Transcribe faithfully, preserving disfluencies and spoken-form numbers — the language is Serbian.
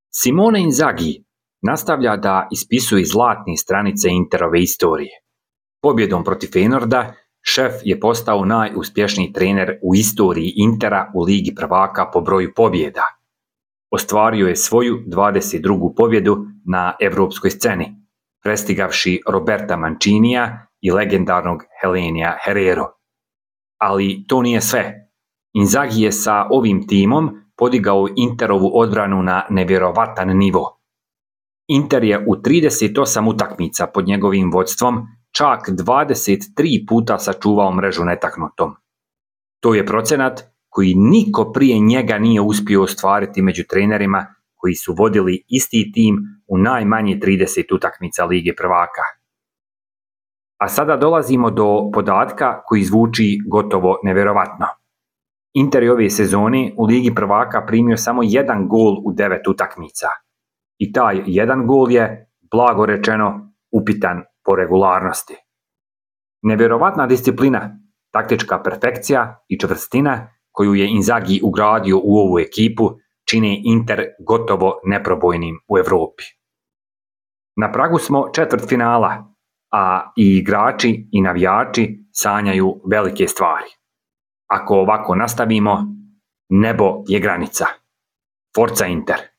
Simone Inzaghi nastavlja da ispisuje zlatne stranice Interove istorije. Pobjedom protiv Feyenoorda šef je postao najuspješniji trener u istoriji Intera u Ligi prvaka po broju pobjeda. Ostvario je svoju dvadeset drugu pobjedu na evropskoj sceni, prestigavši Roberta Mancinija i legendarnog Helenija Herrero. Ali to nije sve. Inzaghi je sa ovim timom podigao Interovu odbranu na nevjerovatan nivo. Inter je u trideset osam utakmica pod njegovim vodstvom čak dvadeset tri puta sačuvao mrežu netaknutom. To je procenat koji niko prije njega nije uspio ostvariti među trenerima koji su vodili isti tim u najmanje trideset utakmica Lige prvaka. A sada dolazimo do podatka koji zvuči gotovo nevjerovatno. Inter je ove sezone u Ligi prvaka primio samo jedan gol u devet utakmica. I taj jedan gol je, blago rečeno, upitan po regularnosti. Nevjerovatna disciplina, taktička perfekcija i čvrstina koju je Inzaghi ugradio u ovu ekipu čine Inter gotovo neprobojnim u Europi. Na pragu smo četvrtfinala, a i igrači i navijači sanjaju velike stvari. Ako ovako nastavimo, nebo je granica. Forza Inter!